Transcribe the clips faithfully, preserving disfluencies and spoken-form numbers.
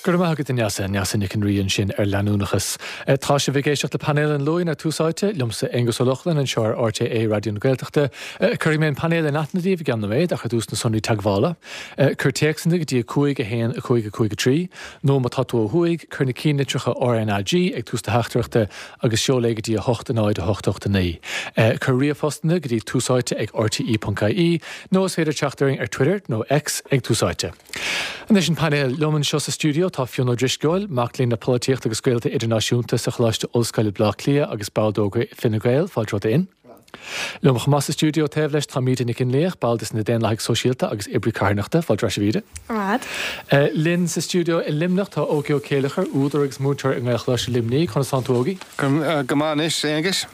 Go raibh maith agat a Neasa, Neasa Nic an Rí ansin ar leanúnachas. Tá sibh ag éisteacht le painéal an Luain ar Tús Áite, liomsa Aengus Ó Lochlainn anseo ar RTÉ Raidió na Gaeltachta. Cuirfidh mé an painéal in aithne daoibh i gceann nóiméad ach ar dtús na sonraí teagmhála. Cuir téacsanna go dtí a cúig a haon a cúig a cúig a trí, nó má tá tú ó thuaidh, cuir na cinnlitreacha RNAG ag tús do theachtaireachta agus seol é go dtí a hocht a náid a hocht ocht a naoi. Cuir ríomhphostanna go dtí túsáite ag rte.ie nó is féidir teacht orainn ar Twitter nó X ag Tús Áite. Anois an painéal liom anseo sa stiúideo tá Fionn Ó Drisceoil, mac léinn le polaitíocht agus gaolta idirnáisiúnta sa Choláiste Ollscoile Bleá Cliath agus ball d'Ógra Fine Gael, fáilte romhat a Fhinn. Liom chomh maith sa stiúideo taobh leis tá Míde Nic Fhionnlaoich, ball de na Daonlathaigh Sóisialta agus oibrí carthanachta, fáilte ar ais a Mhíde. Rad. Linn sa stiúideo i Luimneach tá Ógie Ó Céileachair, údar agus múinteoir i nGaelcholáiste Luimnigh, conas tánn tú Ógie? Go maith anois, Aonghus.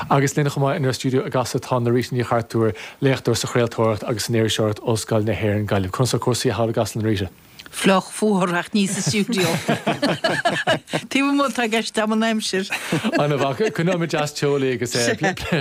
Agus linn chomh maith inár stiúideo i gCasla tá Norita Ní Chartúir, léachtóir sa chraoltóireacht agus san iriseoireacht Ollscoil na hÉireann Gaillimh. Conas tá cúrsaí thall i gCasla Norita? Fliuch fuar ach ní sa stiúideo. Taobh amuigh atá i gceist agam an aimsir. Ana mhaith. Coinneoimid deas teolaí agus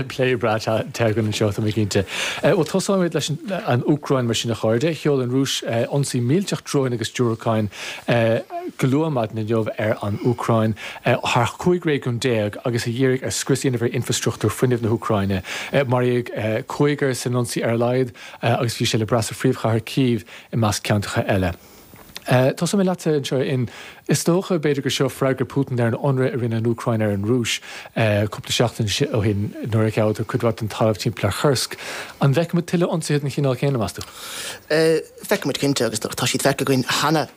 plé breá te againn anseo, tá mé cinnte. Bhuel, tosóimid leis an Úcráin mar sin a chairde. Sheol an Rúis ionsaí millteach dróin agus diúracáin go luath maidin inniu ar an Úcráin thar chúig réigiún déag agus a dhírigh ar scrios a dhéanamh ar infreastruchtúr fuinnimh na hÚcráine. Maraíodh cúigear san ionsaí ar a laghad agus bhí sé le brath sa phríomhchathair Kyiv i measc ceantracha eile. Tosóidh mé leatsa anseo in is dócha b'fhéidir gur seo freagra Putin ar an ionradh a rinne an Úcráin ar an Rúis cúpla seachtain ó shin nuair a ghabhadar cuid mhaith den talamh timpeall ar Chursk. An bhfeicfimid tuilleadh ionsaithe den chineál céanna, meas tú? Feicfimid cinnte agus tá siad feicthe againn cheana.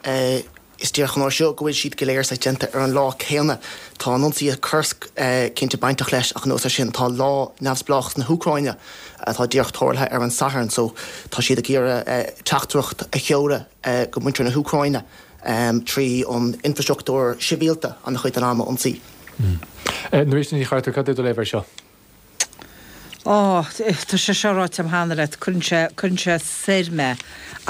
Is díreach an uair seo go bhfuil siad go léir saghas déanta ar an lá céanna. Tá an ionsaí i Kursk cinnte bainteach leis ach anuas air sin tá lá neamhspleáchas na hÚcráine atá díreach tarlaithe ar an Satharn so tá siad ag iarraidh teachtaireacht a sheoladh go muintir na hÚcráine trí an infrastruchtúr sibhialta an-chuid den am a ionsaí. Norita Ní Chartúir, cad é do léamh air seo? Ó, tá sé seo ráite agam cheana leat, cuireann sé, cuireann sé soir mé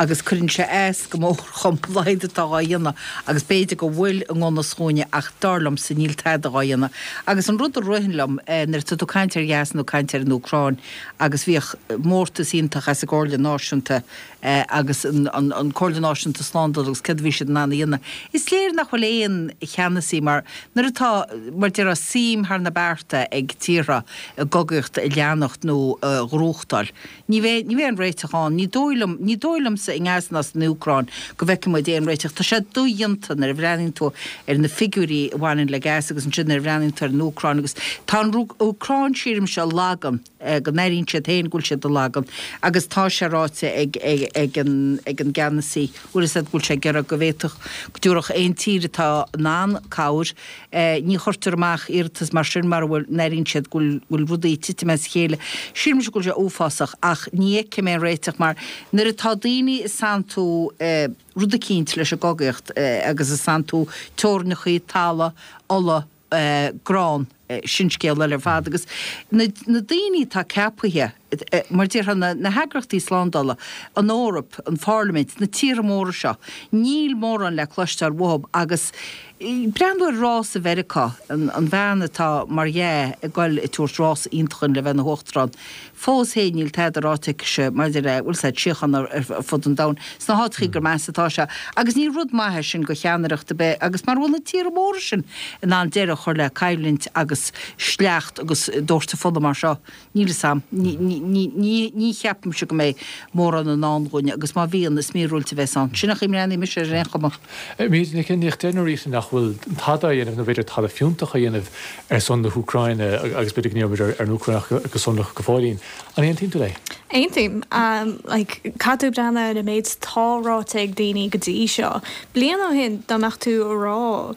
agus cuireann sé as go mór dhom a laghad atá dhá dhéanamh agus b'fhéidir go bhfuil i ngan fhios dhúinne ach dar liomsa níl tada dhá dhéanamh. Agus an rud a ritheann liom nuair atá tú ag caint ar Ghaza nó caint ar an Úcráin agus bhíodh mórtas iontach as an gComhairle Náisiúnta agus an Comhairle Náisiúnta Slándála agus céard a bhí siad in ann a dhéanamh. Is léir nach bhfuil aon cheannasaí mar nuair atá, mar déarfá, suim thar na bearta ag tíortha i gcogaíocht a leanacht nó a ghnóthachtáil, ní bheidh, ní bheidh aon réiteach ann. Ní dóigh liom, ní dóigh liomsa i nGaza ná san Úcráin go bhfeicfidh muid aon réiteach. Tá sé dodhéanta nuair a bhreathnaíonn tú ar na figiúirí a bhaineann le Gaza agus ansin nuair a bhreathnaíonn tú ar an Úcráin agus tá an Úcráin sílimse lag. go n-airíonn siad féin go bhfuil siad i lagan agus tá sé ráite ag ag an ag an gceannasaí, bhfuil fhios a'd, go bhfuil sé ag iarraidh go bhféadfadh, go dtabharfadh aon tír atá in ann cabhair. Ní chuirtear amach iarratas mar sin mara bhfuil, n-airíonn siad go bhfuil go bhfuil rudaí ag titim as a chéile. Sílimse go bhfuil sé uafásach ach ní fheicim aon réiteach mar nuair atá daoine ag santú rud eicínt leis an gcogaíocht agus ag santú teorainneachaí, talamh, ola, grán, sin scéal eile ar fad. Agus na daoine atá ceapaithe, mar déarfá, na heagraíochtaí slándála, an Eoraip, an Pharlaimint, na tíortha móra seo, níl mórán le cloisteáil uathu agus breathnú ar rás i Mheiriceá, an bhean atá mar dhea ag goil ag tabhairt rás iontach le bheith ina huachtarán, Fós féin níl tada ráite aicise maidir le, bhfuil 's a'd, síocháin ar fud an domhain, sna háiteachaí gur measa atá sé. Agus ní rud maith é sin do cheannaireacht ar bith agus mara bhfuil na tíortha móra sin in ann deireadh a chur le coimhlint agus sleacht agus doirteadh fola mar seo, níl 'fhios a'm, ní, ní cheapaimse go mbeidh mórán i ndán dhúinne agus má bhíonn, is míorúilt a bheas ann. Sin an chaoi a mbreathnaíonn mise air ar aon chuma. Míde Nic Fhionnlaoich, deir Norita nach bhfuil tada á dhéanamh nó b'fhéidir tada fiúntach á dhéanamh ar son na hÚcráine agus b'fhéidir go ndíreoimid ar an Úcráin ach go sonrach go fóillín. An aontaíonn tú léi? Aontaím. Like, caithfidh tú breathnú ar an méid atá ráite ag daoine go dtí seo. Bliain ó shin, dá mbeadh tú ag rá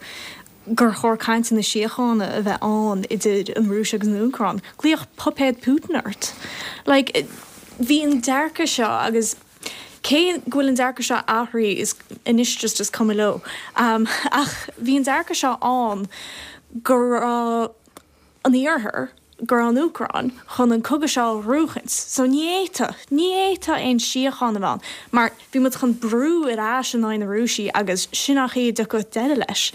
gur chóir cainteanna síochána a bheith ann idir an Rúis agus an Úcráin, ghlaofá puipéad Putin ort. Like, bhí an dearcadh seo agus cé go bhfuil an dearcadh seo athraithe is anois just is cuma leo, ach bhí an dearcadh seo ann go raibh an Iarthar, go raibh an Úcráin chun an cogadh seo a ghnóthachaint. So ní fhéadfadh, ní fhéadfadh aon síocháin a bheith ann mar bhí muid chun brú ar ais in aghaidh na Rúisigh agus sin an chaoi a dtiocfadh deireadh leis.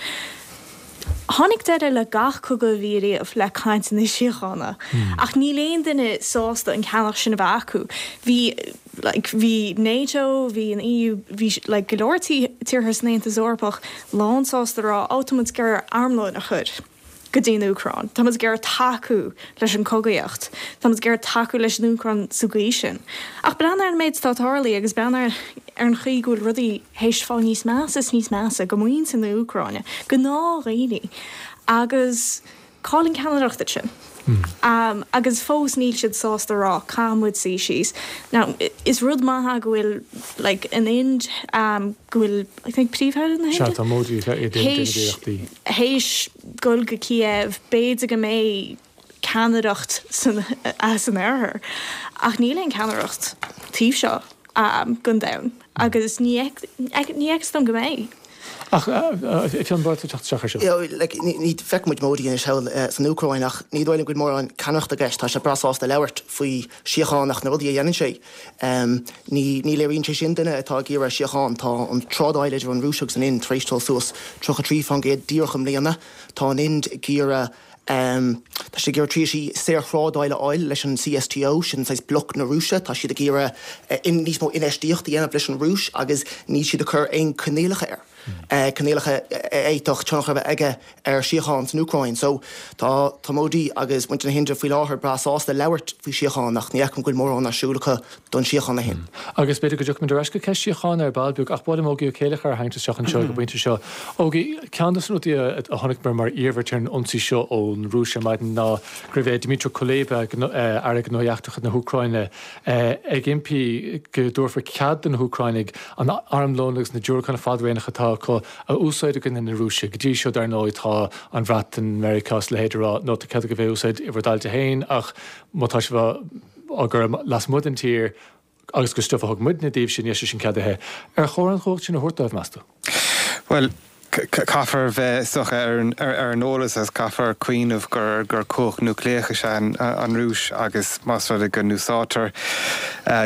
Tháinig deireadh le gach cogadh a bhí riamh le cainteanna síochána. Ach níl aon duine sásta an ceannach sin a bheith acu. Bhí like, bhí NATO, bhí an EU, bhí like, go leor tíortha san Aontas Eorpach lán sásta rá ó tá muid ag iarraidh armlón a chur go dtí an Úcráin. Tá muid ag iarraidh tacú leis an cogaíocht. Tá muid ag iarraidh tacú leis an Úcráin sa gcaoi sin. Ach breathnaigh ar an méid atá tarlaithe agus breathnaigh ar an chaoi go bhfuil rudaí théis fáil níos measa is níos measa go muintir na hÚcráine, gnáthdhaoine. Agus cá bhfuil an ceannaireacht ansin. Um, agus fós níl siad sásta rá caithfidh muid suí síos. Now, is rud maith é go bhfuil like, an Ind um, go bhfuil I think príomh-aire na Sea, tá Modi idir théis dul go Kiev, b'fhéidir go mbeidh ceannaireacht san, as an oirthear. Ach níl aon ceannaireacht taobh seo um, den domhan. Agus ní ní fheictear dom go mbeidh. Ach Fionn ba mhaith leat teacht isteach ar seo. Ní feicimid Modi anois thall san Úcráin ach ní dóigh liom go bhfuil mórán ceannaireachta i gceist. Tá sé breá sásta labhairt faoi síocháin ach na rudaí a dhéanann sé. Ní ní léiríonn sé sin duine atá ag iarraidh síocháin. Tá an trádáil idir an Rúis agus an Ind tar éis dul suas tríocha trí faoin gcéad díreach i mbliana. Tá an Ind ag iarraidh Tá siad ag iarraidh tréimhsí saorthrádáil a fháil leis an CSTO, sin saghas bloc na Rúise. Tá siad ag iarraidh níos mó infheistíocht a dhéanamh leis an Rúis agus níl siad ag cur aon coinníollacha air. Coinníollacha a fhéadfadh tionchar a bheith aige ar síocháin san Úcráin. So tá tá Modi agus muintir na hIndia faoi láthair breá sásta labhairt faoi síocháin ach ní fheicim go bhfuil mórán ar siúl acu don síocháin a haon. Agus b'fhéidir go dtiocfaimid ar ais go ceist síochána ar ball beag ach ba mhaith liom Ógie Ó Céileachair a tharraingt isteach anseo ag an bpointe seo. Ógie, ceann de na rudaí a chonaic mé mar iarmhairt ar an ionsaí seo ón Rúis ar maidin ná go raibh Dmytro Kuleba, Aire Gnóthaí Eachtracha na hÚcráine, ag impí go dtabharfar cead do na hÚcránaigh an armlón agus na diúracáin fadréimeacha atá acu a úsáid i gcoinne na Rúise. Go dtí seo dar ndóigh tá an Bhreatain, Meiriceá is a leithéid ag rá no tá cead agaibh é a úsáid i bhur dtailte féin ach má tá sibh á gcur lasmuigh den tír agus gur stuif a thug muidne daoibhse níl sé sin ceadaithe. Ar chóir an chumhacht sin a thabhairt dóibh, meas tú? Bhuel, caithfear bheith is dócha ar an eolas agus caithfear cuimhneamh gur gur cumhacht núicléach is ea an Rúis agus más rud é go n-úsáidtear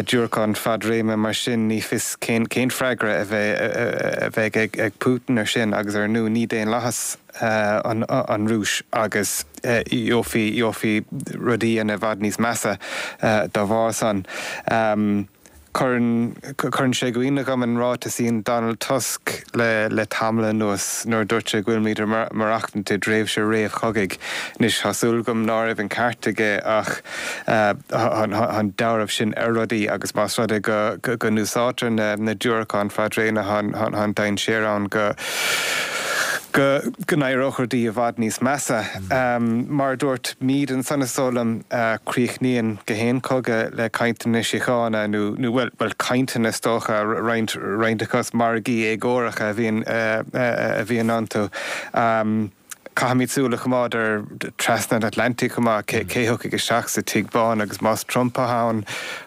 diúracáin fadréime mar sin ní fios cén cén freagra a bheidh a bheidh ag ag Putin ar sin agus ar ndóigh ní daonlathas an an Rúis agus gheofaí gheofaí rudaí ina bhfad níos measa dá bharr san. Cuireann cuireann sé i gcuimhne dhom an ráiteas a dhein Donald Tusk le le tamall anuas nuair a dúirt sé go bhfuilimid ag maireachtaint i dtréimhse réamhchogaidh. Anois, tá súil agam ná raibh an ceart aige ach tá an dealramh sin ar rudaí agus más rud é go go n-úsáidtear na na diúracáin fadréime tá an dainséar ann go go go n-éireodh rudaí i bhfad níos measa. Mar a dúirt Míde ansan is dóigh liom, críochnaíonn gach aon chogadh le cainteanna síochána nó, nó bhuel, bhuel cainteanna is dócha, roinnt, roinnt acu is margaí éagóracha a bhíonn, a bhíonn iontu. Caithfimid súil a choimeád ar trasna an Atlantaigh chomh maith, cé cé thiocfaidh isteach sa Tigh Bán agus más Trump atá ann,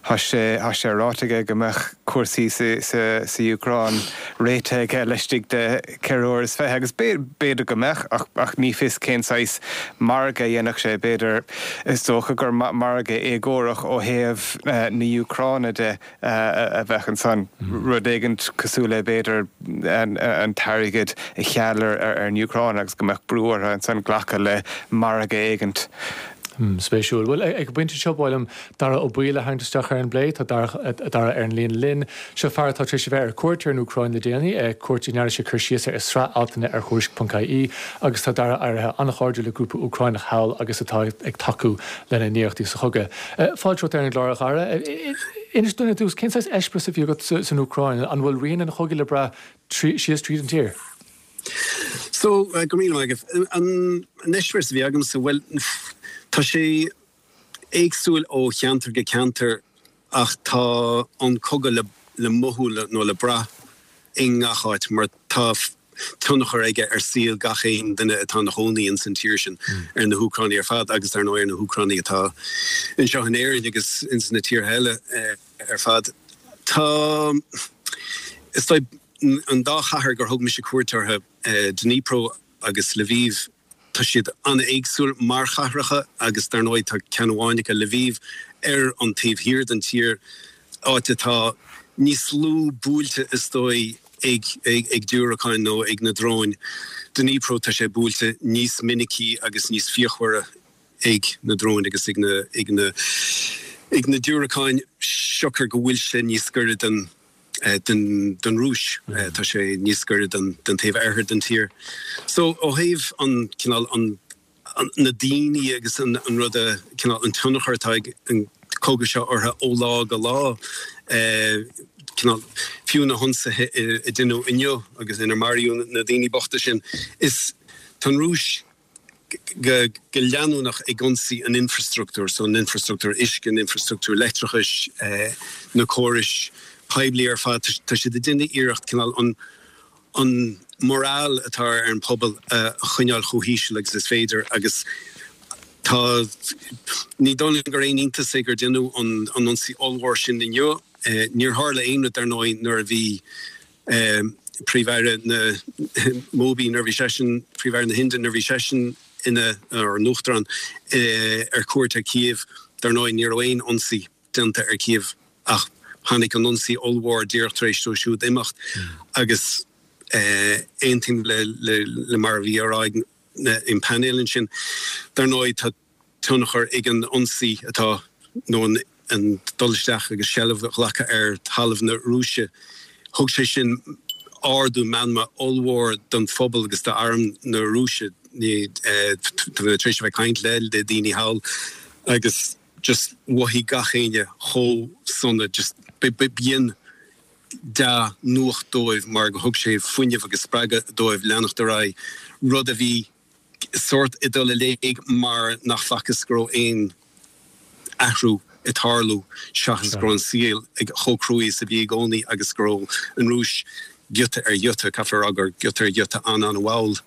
tá sé tá sé ráite aige go mbeadh cúrsaí sa sa sa Úcráin réitithe aige laistigh de ceithre huaire is fiche agus b'fhéidir go mbeadh ach ach ní fios cén saghas margadh a dhéanfadh sé, b'fhéidir is dócha gur margadh éagórach ó thaobh na hÚcráine de. a bheadh ansan. Rud éigin cosúil le, b'fhéidir, an t-airgead a cheal ar an Úcráin agus go mbeadh brú orthu ansan glacadh le margadh éigint. Spéisiúil. Bhuel, ag an bpointe seo, ba mhaith liom Dara Ó Baoill a tharraingt isteach ar an bplé. Tá Dara ar an líne linn. Seo fear atá tar éis a bheith ar cuairt ar an Úcráin le déanaí, cuairt a ndearna sé cur síos air i sraith altanna ar Thuairisc ponc ie, agus tá Dara éirithe an-chairdiúil le grúpa Úcránach thall agus atá ag tacú lena n-iarrachtaí sa chogadh. Fáilte romhat ar an gclár, a Dhara. Inis dúinn ar dtús, cén saghas eispéireas a bhí agat san Úcráin? An bhfuil rian an chogaidh le brath síos tríd an tír? So, go raibh míle maith agat. An eispéireas a bhí agamsa, bhuel, tá sé éagsúil ó cheantar go ceantar ach tá an cogadh le mothú nó le brath i ngach áit mar tá tionchar aige ar saol gach aon duine atá ina chónaí ins an tír sin, ar na hÚcránaigh ar fad agus dar ndóigh ar na hÚcránaigh atá anseo in Éirinn agus ins na tíortha eile ar fad. Tá, is dóigh, an dá chathair gur thug mise cuairt orthu, Dnipro agus Lviv, tá siad an-éagsúil mar chathracha agus dar ndóigh tá ceann amháin acu, Lviv, ar an taobh thiar den tír, áit atá níos lú buailte is dóigh. ag ag diúracáin nó ag na dróin. Dnipro tá sé buailte níos minicí agus níos fíochmhaire ag na dróin agus ag na ag na ag na diúracáin siocair go bhfuil sé níos gaire den den den Rúis tá sé níos gaire den den taobh oirthir den tír. So ó thaobh an cineál an na daoine agus an an rud a cineál an tionchar atá ag an cogadh seo orthu ó lá go lá cineál fiú na hionsaithe a deineadh inniu agus inar maraíodh na daoine bochta sin is tá an Rúis go go leanúnach ag ionsaí an infrastruchtúr, so an infrastruchtúr uisce, an infrastruchtúr leictreachais, na córais poiblí ar fad, tá siad ag déanamh iarracht cineál an an morale atá ar an pobal a choinneáil chomh híseal agus is féidir agus tá ní dóigh liom gur aon iontas é gur deineadh an an ionsaí ollmhór sin inniu. Níor tharla aon rud dar ndóigh nuair a bhí Príomh-Aire na Modi nuair a bhí seisean Príomh-Aire na hIndia nuair a bhí seisean ina ar an uachtarán ar cuairt ar Kiev dar ndóigh ní raibh aon ionsaí déanta ar Kiev ach tháinig an ionsaí ollmhór díreach tar éis dó siúd imeacht agus aontaím le le mar a bhí á rá ag an painéal ansin. Dar ndóigh tá tionchar ag an ionsaí atá nó an an dul isteach agus seilbh a ghlacadh ar thalamh na Rúise. Thug sé sin ardú meanma ollmhór don phobal agus d'arm na Rúise. Tá mé tar éis a bheith ag caint le le daoine thall agus just mhothaigh gach éinne chomh sona just b'in dea-nuacht dóibh mar go thug sé fuinneamh agus spreagadh dóibh leanacht ar aghaidh, rud a bhí sórt ag dul i léig mar nach bhfacthas go raibh aon athrú ag tarlú seachas go raibh an saol chomh cruaidh is a bhí i gcónaí agus go raibh an Rúis giota ar ghiota, caithfear a rá gur giota ar ghiota an-an-mhall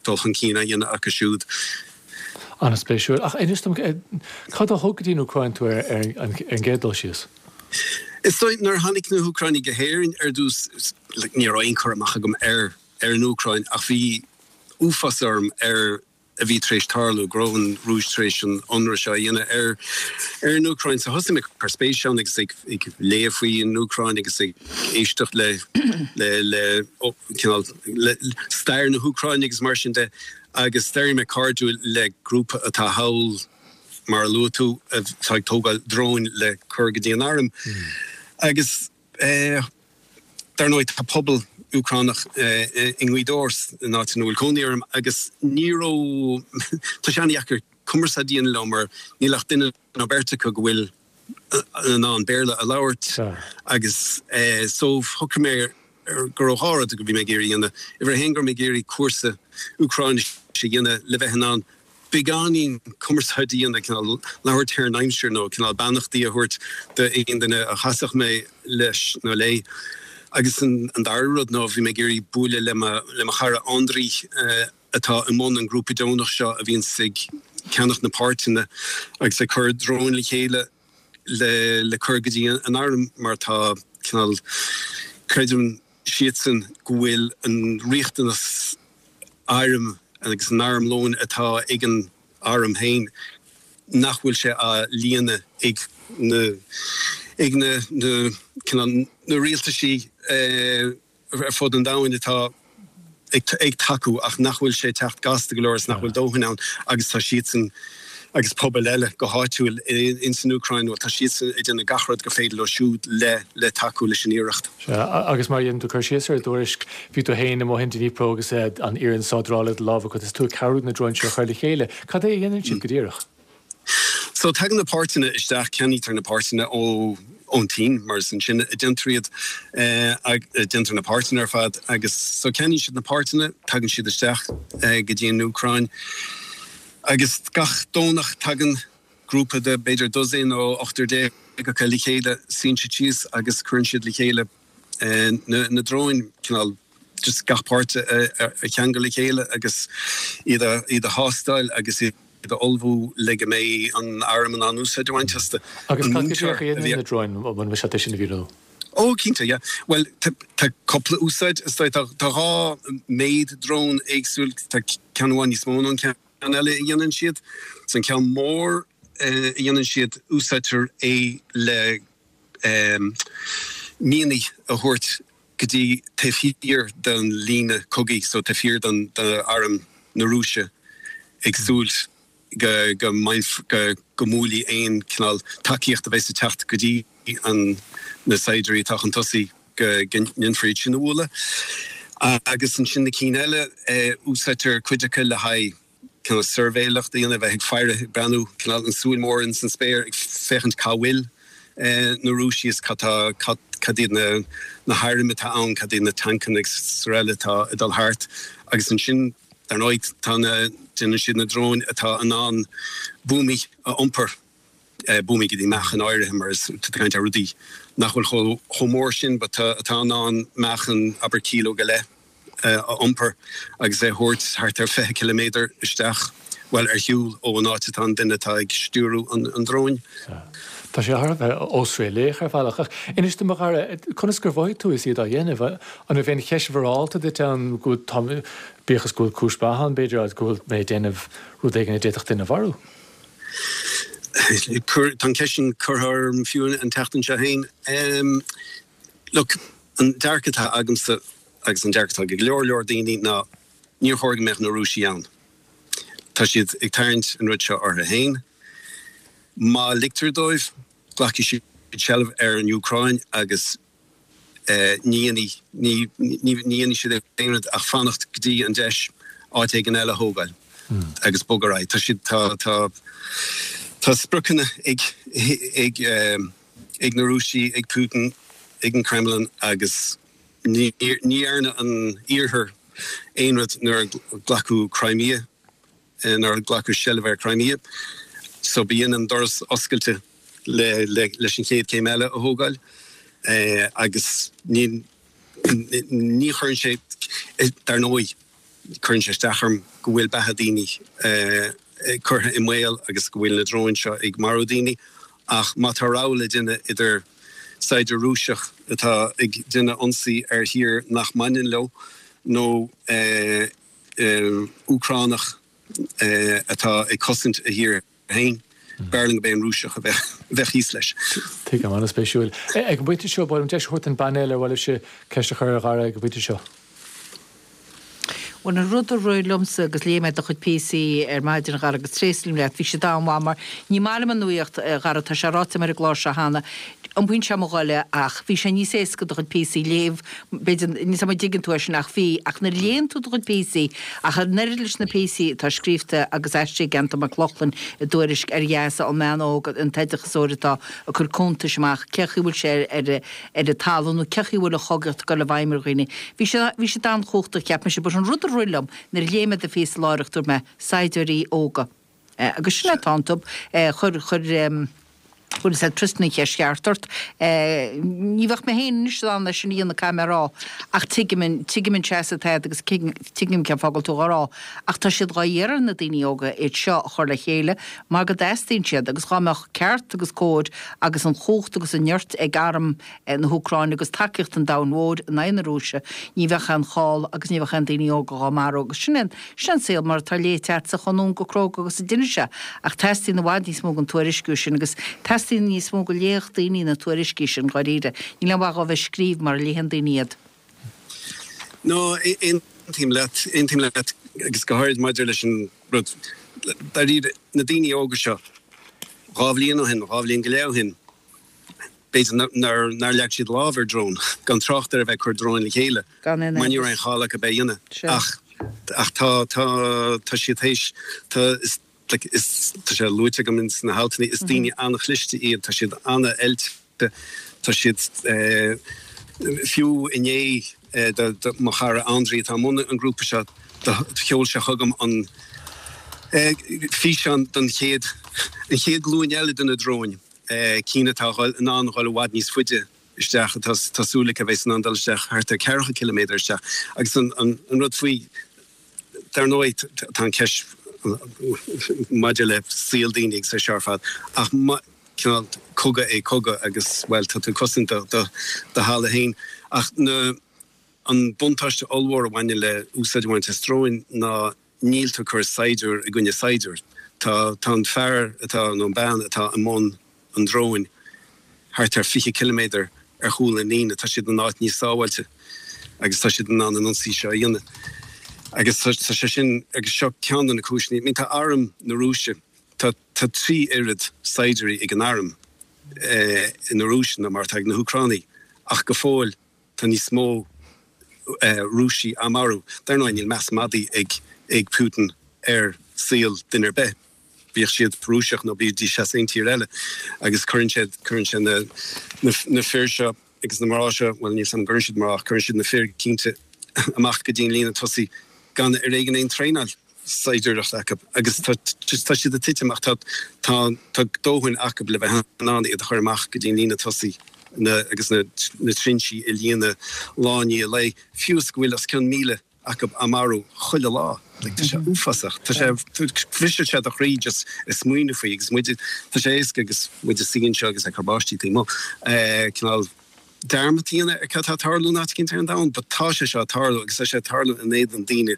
dul chun cinn á dhéanamh acu siúd. An-spéisiúil. Ach inis dom, cad a thug go dtí an Úcráin tú ar an gcéad dul síos? Is dóigh, nuair a tháinig na hÚcránaigh go hÉirinn ar dtús, ní raibh aon chur amach agam ar ar an Úcráin ach bhí uafás orm ar a bhí tar éis tarlú, go raibh an Rúis tar éis an ionradh seo a dhéanamh ar ar an Úcráin. So thosaigh mé ag cur spéise ann agus ag ag léamh faoi an Úcráin agus ag éisteacht le le le cineál le stair na hÚcráine agus mar sin de agus d'éirigh mé cairdiúil le grúpa atá thall mar a luaigh tú atá ag tógáil dróin le cur go dtí an arm agus eh Dar ndóigh, tá pobal Úcránach i nGaoth Dobhair, an áit ina bhfuil cónaí orm, agus ní raibh, tá sé an-dheacair cumarsáid a dhéanamh leo mar níl ach duine nó beirt acu go bhfuil in ann Béarla a labhairt agus so shocraigh mé go raibh dhá rud go bhí mé ag iarraidh a dhéanamh. Uimhir a haon go raibh mé ag iarraidh cúrsa Úcráinise a dhéanamh le bheith in ann beagáinín cumarsáid a dhéanamh, cineál labhairt ar an aimsir nó cineál beannachtaí a thabhairt d'aon duine a chasfadh mé leis nó léi. Agus an dara rud ná bhí mé ag iarraidh bualadh le mo le mo chara Andriy atá i mbun an grúpa deonach seo a bhíonns ag ceannach na páirteanna agus ag cur dróin le chéile le le cur go dtí an arm mar tá cineál creideann siadsan go bhfuil an riachtanas airm agus an armlóin atá ag an arm féin nach bhfuil sé á líonadh ag na ag na na cineál na rialtaisí ar fud an domhain atá ag ag tacú ach nach bhfuil sé ag teacht gasta go leor is nach bhfuil dóthain ann agus tá siadsan agus pobail eile go háitiúil ins an Úcráin, bhuel tá siadsan ag déanamh gach rud gur féidir leo siúd le le tacú leis an iarracht. Sea, agus mar a dhéanann tú cur síos ar i dtuairisc, bhí tú féin amuigh in Dnipro agus an iarann sádrála i do lámh agat is tú ag cabhrú na dróin seo a chur le chéile. Cad é a dhéanann siad go díreach? So tagann na páirteanna isteach, ceannaítear na páirteanna ó ón tSín mar is ansin a déantar iad, déantar na páirteanna ar fad agus so ceannaíonn siad na páirteanna, tagann siad isteach go dtí an Úcráin. Agus gach Domhnach tagann grúpa de b'fhéidir dosaen nó ochtar déag acu le chéile, suíonn siad síos agus cuireann siad le chéile na dróin, cineál just gach páirt a cheangal le chéile agus iad a iad a thástáil agus iad a ullmhú le go mbeidh an arm in ann úsáid a bhaint astu. Agus cad go díreach a dhéanann na dróin, an mbeidh sé sin a mhíniú? Ó, cinnte, yeah. Bhuel, tá cúpla úsáid, is dóigh. Tá dhá méid drón éagsúil, tá ceann amháin níos mó ná an ceann eile a dhéanann siad. So an ceann mór a dhéanann siad, úsáidtear é le mianaigh a thabhairt go go dtí taobh thiar den líne cogaidh, so taobh thiar den arm na Rúise, ag súil go go go go mbuailfidh aon cineál tacaíocht a bheas ag teacht go dtí an na saighdiúirí atá chun tosaigh go go ndéanfar iad sin a bhualadh. Agus ansin na cinn eile, úsáidtear cuid acu le haghaidh cineál suirbhéireacht a dhéanamh, bheith ag faire, ag breathnú, cineál an súil mór ins an spéir, ag féachaint cá bhfuil na Rúisigh is cad tá, cad, cad iad na, na hairm atá ann, cad iad na tancanna agus araile atá ag dul thart. Agus ansin, dar ndóigh, tá na, déanann siad na dróin atá in ann buamaí a iompar, buamaí go dtí meáchan áirithe, mar is tá tú ag caint ar rudaí nach bhfuil chomh, chomh mór sin but atá in ann meáchan, abair kíló go leith. a iompar agus é a thabhairt thart ar fiche ciliméadar isteach, bhuel, ar shiúl ó an áit atá an duine atá ag stiúrú an dróin. Tá sé thar a bheith osréalaíoch ar bhealach. Ach inis dom, a Dhara, conas gur mhothaigh tú is iad á dhéanamh? An raibh aon cheist mhorálta duit ann go bhfuil, bíodh is go bhfuil cúis mhaith ann, b'fhéidir, agus go bhfuil mé ag déanamh rud éigin a d'fhéadfadh duine a mharú? Tá an cheist sin curtha orm fiú an tseachtain seo féin. Look, an dearcadh atá agamsa, agus an dearcadh atá ag go leor leor daoine ná níor chóir go mbeadh na Rúisigh ann. Tá siad ag tarraingt an rud seo orthu féin. Má ligtear dóibh, glacfaidh siad seilbh ar an Úcráin agus ní dhéanfaidh, ní, ní dhéanfaidh siad aon rud ach fanacht go dtí an deis áit éigin eile a thógáil agus bogadh ar aghaidh. Tá siad, tá, tá, tá spriocanna ag, ag, ag na Rúisigh, ag Putin, ag an Kremlin agus Ní dhearna an Iarthar aon rud nuair a glacadh Crimea, nuair a glacadh seilbh ar Crimea, so bíonn an doras oscailte leis an chéad céim eile a thógáil agus ní chuireann sé, dar ndóigh, cuireann sé isteach orm go bhfuil beatha daoine curtha i mbaol agus go bhfuil na dróin seo ag marú daoine ach má tá rogha le déanamh idir saighdiúir Rúiseach atá ag déanamh ionsaí ar thír nach mbaineann leo nó Úcránach atá ag cosaint a thír féin. B'fhearr liom gurb é an Rúiseach a bheadh thíos leis. Tuigim, an-spéisiúil. Ag an bpointe seo, ba mhaith liom deis a thabhairt don bpainéal ar mhaith libhse ceist a chur ar Dhara ag an bpointe seo. Bhuel, an rud a rith liomsa agus léigh mé do chuid píosaí ar maidin, a Dhara, agus tréaslaím leat, bhí siad an-mhaith mar ní maith liom an nuaíocht, a Dhara, tá sé ráite agam ar an gclár seo cheana, iompaíonn sé mo ghoile ach bhí sé níos éasca do chuid píosaí a léamh, b'fhéidir, níl 's agam an dtuigeann tú é sin ach bhí, ach nuair a léann tú do chuid píosaí, ach an oiread leis na píosaí atá scríofa agus aistrithe ag Antain Mac Lochlainn i dTuairisc ar Ghaza, an mbean óg, an t-oideachasóir atá ag cur cuntais amach, cé chaoi bhfuil sé ar ar an talamh nó cé chaoi bhfuil an chogaíocht ag dul i bhfeidhm ar dhaoine. Bhí sé, bhí siad an-chumhachtach, cheap mise, but an rud a rith liom nuair a léigh mé do phíosa láithreach, dúirt mé, saighdiúirí óga. Agus sin atá iontu. Chuir, chuir, chuir said Tristan an cheist cheart ort. Ní bheadh mé féin anois in ann é sin a dhéanamh, caithfidh mé a rá, ach tuigim an, tuigim an seasamh atá agat agus tuigim cén fáth go bhfuil tú dhá rá. Ach tá siad dhá iarraidh ar na daoine óga iad seo a chur le chéile mar go dteastaíonn siad agus dhá mbeadh ceart agus cóir agus an chumhacht agus an nirt ag arm na hÚcráine agus tacaíocht an domhain mhóir in aghaidh na Rúise, ní bheadh aon chall agus ní bheadh aon daoine óga dhá marú agus sin é sin an saol mar atá léite agatsa chomh domhain cróga agus a d'inis sé. Ach teastaíonn i bhfad níos mó den tuairisciú sin agus teastaíonn níos mó go léifeadh daoine na tuairiscí sin, dháiríre. Níl aon mhaith dhóibh a bheith scríobh mura léann daoine iad. No, aontaím leat, aontaím leat agus go háirid maidir leis an rud, dáiríre, na daoine óga seo, dhá bhliain ó shin, dhá bhliain go leith ó shin, b'fhéidir nár, nár leag siad lámh ar drón, gan trácht ar a bheith ag cur dróin le chéile, Gan aon mar ní amhras. raibh aon chall acu é a dhéanamh. Sea. Ach, ach tá, tá, tá siad théis, tá, is, like, is, tá sé luaite agam ins na haltanna, is daoine an-chliste iad, tá siad an-oilte, tá siad, eh, fiú inné, eh, do, do mo chara Andriy atá i mbun an ghrúpa seo, do, sheol sé chugam an, eh, físeán don chéad, an chéad ghlúin eile de na dróin. cinn atá in ann dhul i bhfad níos faide isteach, atá tá súil acu a bheas in ann dul isteach thart ar ceathracha ciliméadar isteach. Agus an rud faoi, dar ndóigh, tá an cheist maidir le saol daoine agus é seo ar fad, ach cineál cogadh é cogadh agus, bhuel, tá tú ag cosaint do thalamh féin. Ach na, an buntáiste ollmhór a bhaineann le úsáid a bhaint as dróin ná níl tú ag cur saighdiúir i gcoinne saighdiúir. Tá tá an fear atá, nó an bean atá i mbun an dróin thart ar fiche ciliméadar ar chúl an líne, tá siad in áit níos sábháilte agus tá siad in ann an ionsaí seo a dhéanamh. Agus tá sé sin agus seo ceann de na cúiseanna, I mean tá arm na Rúise, tá tá trí oiread saighdiúirí ag an arm eh, na Rúise ná mar atá ag na hÚcránaigh ach go fóill tá níos mó eh, Rúisigh á marú. Dar ndóigh níl meas madaidh ag ag Putin ar saol duine ar bith. Bíodh siad Rúiseach nó bídís as aon tír eile agus cuireann sé cuireann sé na na, na fir seo agus na mná seo, well níl an gcuireann siad mná, cuireann siad na fir cinnte amach go dtí an líne tosaigh gan ar éigean aon traenáil saighdiúireachta acu agus tá tá siad ag titim ach tá tá tá dóthain acu le bheith in ann iad a chur amach go dtí an líne tosaigh na agus na na trinsí a líonadh lá i ndiaidh lae fiú is go bhfuil os cionn míle acu á marú chuile lá. Like, tá sé uafásach. Tá sé briseann sé do chroí just ag smaoineamh faoi agus muid tá sé éasca agus muid ag suí anseo agus ag cur báistí taobh amuigh. Eh, cineál dearmad a dhéanamh ar cad tá ag tarlú in áit éicint ar an domhan, but tá sé seo ag tarlú agus tá sé ag tarlú in éadan daoine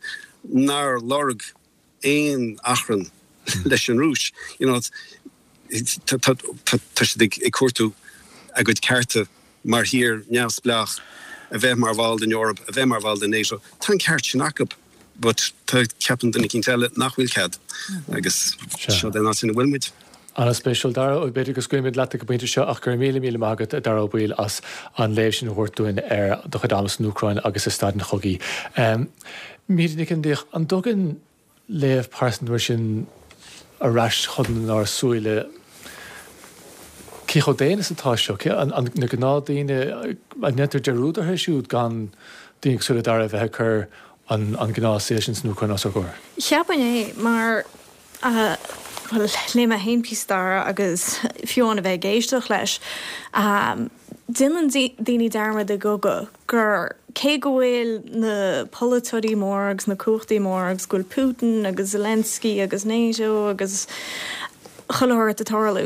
nár lorg aon achrann leis an Rúis. You know, tá tá tá tá siad ag ag cuartú a gcuid cearta mar thír neamhspleách a bheith mar bhall den Eoraip, a bheith mar bhall den NATO. Tá an ceart sin acu, but tá ceapann duine éicint eile nach bhfuil cead agus seo den áit ina bhfuil muid. An-spéisiúil Dara ó b'fhéidir go scaoilfimid leat ag an bpointe seo ach go raibh míle míle maith agat Dara Ó Baoill as an léamh sin a thabhairt dúinn ar do chuid ama san Úcráin agus i staid an chogaidh. Um, Míde Nic Fhionnlaoich, an dtugann léamh pearsanta mar sin ar ais chun ár súile cé chomh daonna is atá seo an, an, na gnáthdhaoine an ndéantar dearúd orthu siúd gan daoine cosúil le Dara bheith ag cur an, an gnáthshaol sin san Úcráin os ár gcomhair. Cheapfainn é mar uh, well, léigh mé féin píosa Dara agus fiú a bheith ag éisteacht leis. Um, Déanann daoine dearmad i gcogadh gur cé go bhfuil na polaiteoirí mór agus na cumhachtaí mór agus go bhfuil Putin agus Zelensky agus NATO agus chuile shórt ag tarlú.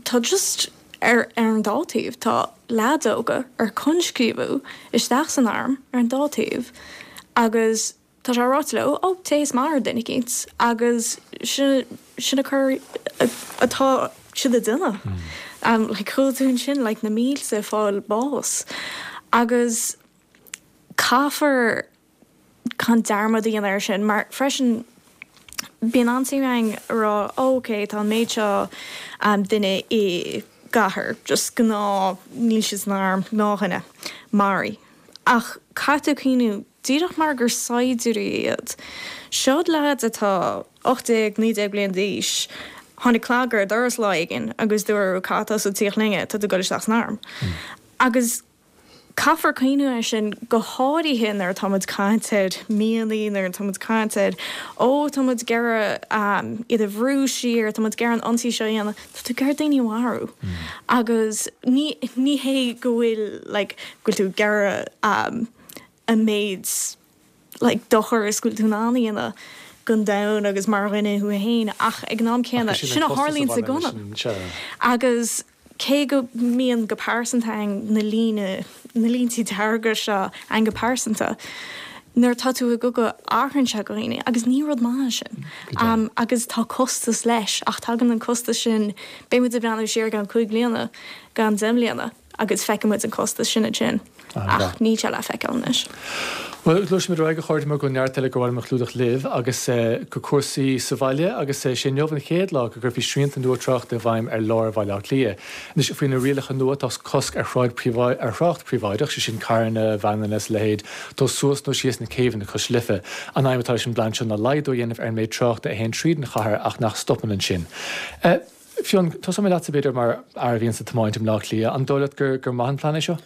Tá just ar ar an dá taobh tá leaids óga ar conscríobhadh isteach san arm ar an dá taobh agus tá sé ráite leo ó téigh is maraigh duine éicint agus sin sin a chur atá siad ag déanamh. Um, like, chuala tú ansin like, na mílte fáil bás. Agus caithfear gan dearmad a dhéanamh air sin, mar freisin bíonn an-suim againn rá ok tá an méid seo um, duine i gcathair, just gnáth níl siad san arm gnáthdhuine maraithe. Ach caithfidh tú cuimhneamh díreach mar gur saighdiúirí iad. Siod leaids atá ocht déag naoi déag bliain d'aois, tháinig cnag ar doras lá éigin agus dúradh caithfidh tú tíocht linne tá tú ag dul isteach san arm. Agus caithfear cuimhneamh air sin go háirithe nuair atáimid ag caint ar mionlaigh nuair atáimid ag caint ar ó táimid ag iarraidh um, iad a bhrú siar táimid ag iarraidh an ionsaí seo a dhéanamh, tá tú ag iarraidh daoine a mharú. Agus ní ní hé go bhfuil like, go bhfuil tú ag iarraidh um, an méid like, dochar is go bhfuil tú in ann a dhéanamh don domhan agus mar dhuine thú féin ach ag an am céanna sin a tharlaíonn sa gunna. Agus cé go mbíonn go pearsanta na líne na línte dearga seo an go pearsanta. Nuair tá tú i gcogadh athraíonn sé dhaoine agus ní rud maith sin. Um, agus tá costas leis ach tagann an costas sin beimid ag breathnú siar gan cúig bliana gan deich mbliana agus feicfimid an costas sin sin ach níl sé le feiceáil anois. Well, gluaisimid ar aghaidh a chairde mar go neart eile gur mhaith liom a chlúdach libh agus eh, go cúrsaí sa bhaile agus eh, sé inniu an chéad lá go gcuirfí srianta nua tráchta i bhfeidhm ar lár Bhaile Átha Cliath. Anois faoi na rialacha nua tá cosc ar thrácht ar thrácht príobháideach sé sin carranna, veaineanna is a leithéid, dul suas nó síos na céibheanna cois Life. An aidhm atá leis an bplean seo ná laghdú a dhéanamh ar an méid tráchta a théann tríd an chathair ach nach stopann ansin. Uh, Fionn, tosóidh mé leatsa b'fhéidir mar fhear a bhíonn ag tiomáint i mBleá Cliath, an dóigh leat gur gur maith an plean é seo?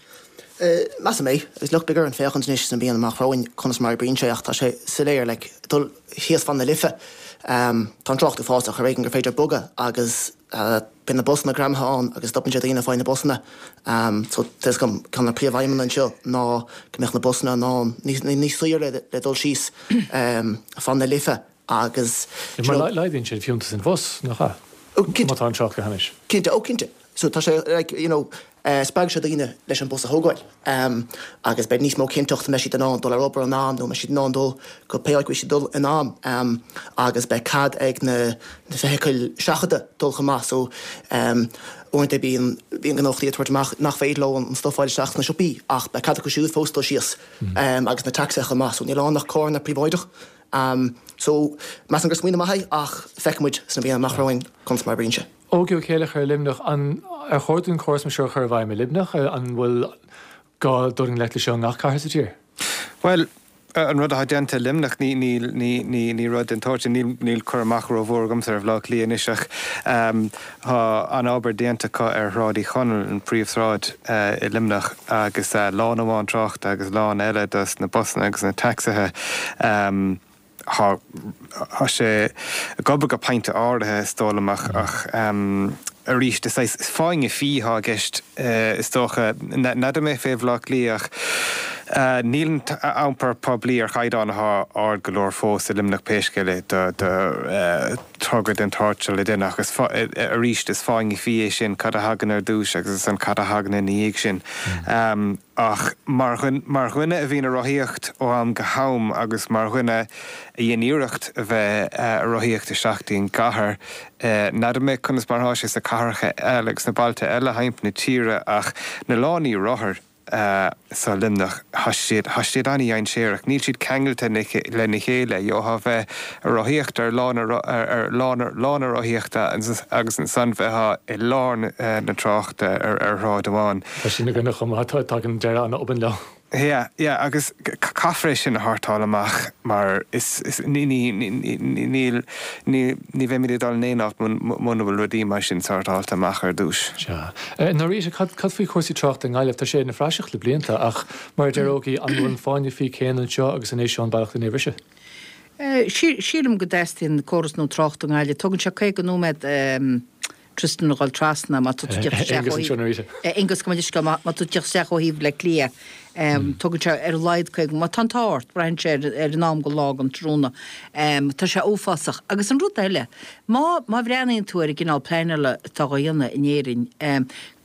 Uh, Measaim é, is lucht bigger an féachaint anois san bíonn amach romhainn conas mar a oibríonn sé ach tá sé soiléir le dul thíos fan na Life. Um, tá an trácht uafásach ar éigean gur féidir bogadh agus uh, bíonn na busanna greamaithe ann agus stopann sé daoine faoi na busanna. Um, so gom ceann na príomhaidhmeanna anseo ná go mbeadh na busanna ná níos saoire le, le dul síos um, fan na Life agus Mar laghdaíonn sé fiúntas an bhus nach ea? Má tá an trácht go hainnis. Cinnte ó cinnte. So tá sé like, you know, uh, spreag sé daoine leis an bus a thógáil. Um, agus beidh níos mó cinnteacht mbeidh siad in ann dul ar obair in am nó mbeidh siad in ann dul go pé áit siad dul in am um, agus beidh cead ag na, na feithicil seachadta dul chomh maith so um, Uaireanta bíonn bíonn gnólachtaí ag tabhairt amach nach féidir leo an stuif a fháil isteach sna siopaí ach beidh cead acu siúd fós dul síos agus na tacsaithe chomh maith so níl ann ach carranna príobháideach. So measaim gur smaoineamh maith é ach feicfidh muid sna míonna amach romhainn conas mar a oibríonn sé. Ógie Ó Céileachair i Luimneach, an ar chóir dúinn córas mar seo a chur i bhfeidhm i Luimneach? An bhfuil gá dul i ngleic leis seo i ngach cathair sa tír? Bhuel, an rud atá déanta i Luimneach, ní, ní, ní, ní, ní rud den tsórt sin, níl, níl cur amach rómhór agamsa ar Bhaile Átha Cliath anois ach tá an-obair déanta acu ar Shráid Uí Chonaill, an phríomhshráid i Luimneach, agus lána amháin tráchta agus lána eile dos na busanna agus na tacsaithe. Tá sé ag obair go pointe áirithe, is dóigh liom, ach arís, is saghas fáinne fí atá i gceist, is dócha. N'fheadar mé fé Bhaile Átha Cliath ach níl an t-iompar poiblí ar chaighdeán atá ard go leor fós i Luimneach pé scéal é do thogra den tsórt seo le déanamh ach arís, is fáinne fí é sin, cad a thagann ar dtús agus ansan cad a thagann ina dhiaidh sin. Ach mar mar dhuine a bhíonn ag rothaíocht ó am go ham agus mar dhuine a dhein iarracht a bheith ag rothaíocht isteach dtí an gcathair, n'fheadar mé conas mar atá sé sna cathracha eile agus sna bailte eile thimpeall na tíre ach na lánaí rothar so Luimneach, tá siad tá siad an-dhainséarach. Níl siad ceangailte lena chéile. Gheofá bheith ag rothaíocht ar lána ar lána lána rothaíochta agus ansan bheifeá i lár na tráchta ar ar shráid amháin. Tá sin againne chomh maith, tagann deireadh an-obann leo. Yeah, yeah, agus caithfear é sin a shórtáil amach mar is, is, ní, ní, níl, ní, ní bheimid ag dul in aon áit muna bhfuil rudaí mar sin sórtáilte amach ar dtús. Sea. Norita, cad, cad faoi chúrsaí tráchta i nGaillimh? Tá sé ina phraiseach le blianta ach mar a deir Ógie, an bhfuil an fáinne fí céanna anseo agus an é seo an bealach lena bhriseadh? Sílim go dteastaíonn córas nua tráchta i nGaillimh. Tógann sé caoga nóiméad Tristan a dhul trasna má tá tú ag teacht isteach ó thaobh Aonghus, gabh mo leithscéal, má tá tú ag teacht isteach ó thaobh Bhaile Átha Cliath. Tógann sé ar a laghad caoga, má tá an t-ádh ort, braitheann sé ar an am den lá den tráthnóna. Tá sé uafásach. Agus an rud eile, má má bhreathnaíonn tú ar an gcineál pleanála atá á dhéanamh in Éirinn,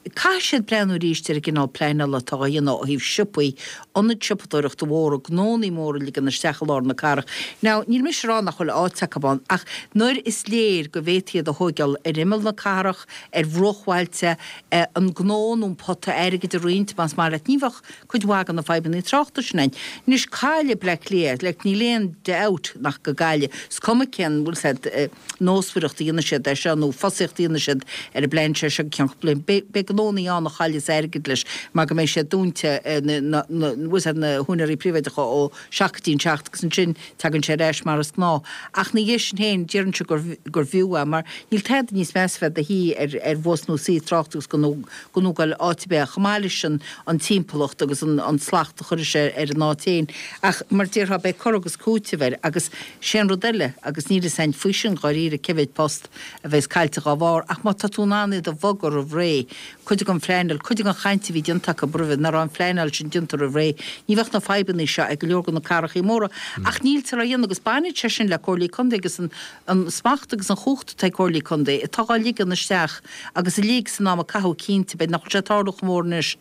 Caithfidh siad breathnú arís ar an gcineál pleanála atá á dhéanamh ó thaobh siopaí, ionaid siopadóireachta mhóra, gnónnaí móra a ligean isteach i lár na cathrach. Now, níl mise ag rá nach bhfuil áit acu ann, ach nuair is léir go bhféadfaí iad a thóigeáil ar imeall na cathrach, ar bhruachbhailte, an gnó nó an pota airgid a roinnt, más maith leat, ní bheadh cuid mhaith de na fadhbanna tráchta sin ann. Anois, caillfidh Bleá Cliath, like, níl aon doubt nach go gcaillfidh, is cuma cén, bhfuil 's a'd, nósmhaireacht a dhéanfaidh siad air seo nó fosaíocht a dhéanfaidh siad ar an bplean seo seo go ceann cúpla bliain. Beidh gnónnaí ann a chaillfeas airgead leis mar go mbeidh sé dúnta, na na húinéirí príobháideacha ó seacht go dtí an seacht agus ansin tagann sé ar ais mar is gnáth. Ach ina dhiaidh sin féin déarfainnse gur gur bhfiú é mar níl tada níos measa bheith i do shuí ar ar bhus nó suí i dtrácht agus gan gan tú ag goil áit ar bith chomh maith leis an an timpeallacht agus an an slacht a chuirfidh sé ar an áit féin. Ach mar déarfá beidh cur agus cúiteamh air agus sé an rud eile agus níl fhios a'inn faoi sin dháiríre cé mhéid post a bheas caillte dhá bharr ach má tá tú in ann iad a bhogadh roimh ré, cuid den phleanáil, cuid den chaint a bhí déanta acu roimhe, nach raibh an phleanáil sin déanta roimh ré, ní bheadh na fadhbanna seo ag go leor de na cathrachaí móra. Ach níltear á dhéanamh agus baineann sé sin le comhairlí contae agus an an smacht agus an chumhacht atá ag comhairlí contae atá dhá ligean isteach agus a lig san am a caitheadh cinnte, b'fhéidir nach bhfuil sé ag tarlú chomh mór anois